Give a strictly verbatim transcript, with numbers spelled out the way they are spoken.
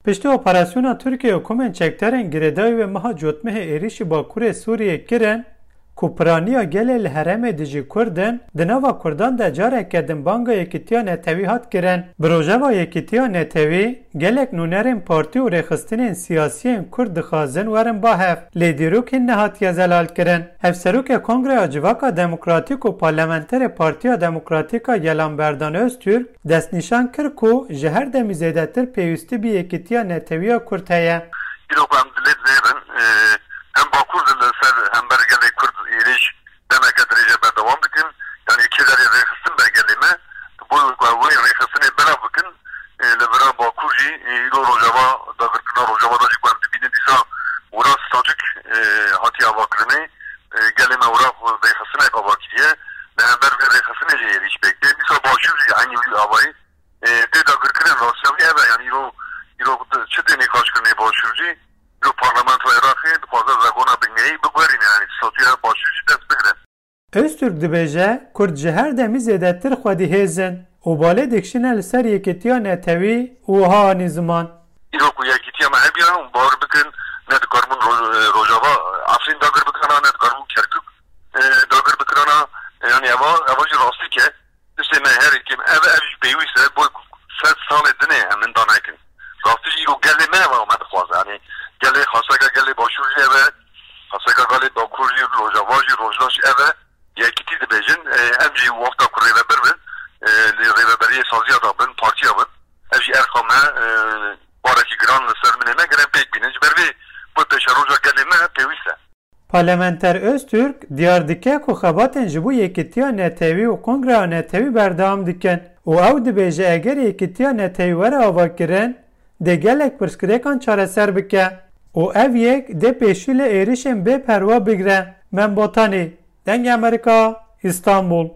Piştî operasyona Tirkiye û komên çekdarên girêdayî wê meha Cotmehê êrîşî Bakurê Sûriyê kirin, ku piraniya gelê li herêmê dijî Kurd in, di nava Kurdan de careke din banga Yekîtiya Netewî hat kirin. Bi rojeva Yekîtiya Netewî, gelek nûnerên partî û rêxistinên siyasiyên Kurd dixwazin werin ba hev, lê dîrok hîn nehatiye zelal kirin. Hevserokê Kongreya Civaka Demokratîk û parlamenterê Partiya Demokratîk a Gelan Berdan Öztürk, destnîşan kir ku ji her demî zêdetir pêwîstî bi yekîtiya netewî ya Kurd heye. Îro ku em dilê dinêrin, e, em Bakur de li ser hember gelê Kurd êrîş demeke dirêj e berdewam dikin. Yanî kêderê rêxistin be gelê me, bo ku ew wê rêxistinê belav bikin, e, li vira Bakur jî, e, îro Rojava, dagirkirina Rojava de jî ku em dibînin dîsa wira statûk, e, hatiye avakirinê, e, gelê me wira rêxistinek ava kiriye. Li hember vê rêxistinê jî êrîş pêk tê. Dîsa Başûr jî eynî wî avayî, e, tê dagirkirin. Rastiya wî ev e, yanî îro, îro çi tê nîqaşkirinê Başûr jî, îro parlamentoya Iraqê dixwaze zegona bingehî biguherîne, yanî statûya Başûr jî dest bigire. Öztürk dibêje, Kurd ji her demî zêdetir xwedî hêz in û balê dikişîne li ser yekîtiya netewî û wiha anî ziman. Îro ku yekîtiya me hebiya û bawer bikin, ne dikaribûn Roj-, Rojava, Efrîn dagir bikirana, ne dikaribûn Kerkûk, e, dagir bikirana, e, yanî eva, eva jî rastî ke, tiştê me her kim, ev, ev jî pêwîst e, bo ku sed salê dinê em hinda nekin. Rastî jî îro gelê me eva me dixwaze, yanî gelê xaseka gelê Başûr jî ev e, xaseka gelê Bakur jî, Rojava jî, Rojda jî ev e. Yekîtî dibêjin, e, em jî wexta ku rêveber bin, e, li rêveberiyê saziya de bin, partiya bin, ev jî erxa me, e, barekî giran li ser minê me, gere pêk bînin. Ji ber vê, bo pêşeroja gelê me pêwîst e. Parlamenter Öztürk diyar dike ku xebatên ji bo yekîtiya netewî û kongreya netewî berdewam dikin û ew dibêje eger yekîtiya netewî were avakirin, dê gelek pirsgirêkan çareser bike û ev yek dê pêşî li êrişên bê perwa bigre. Mem Botanî, Dengê Amerîka, Îstanbul.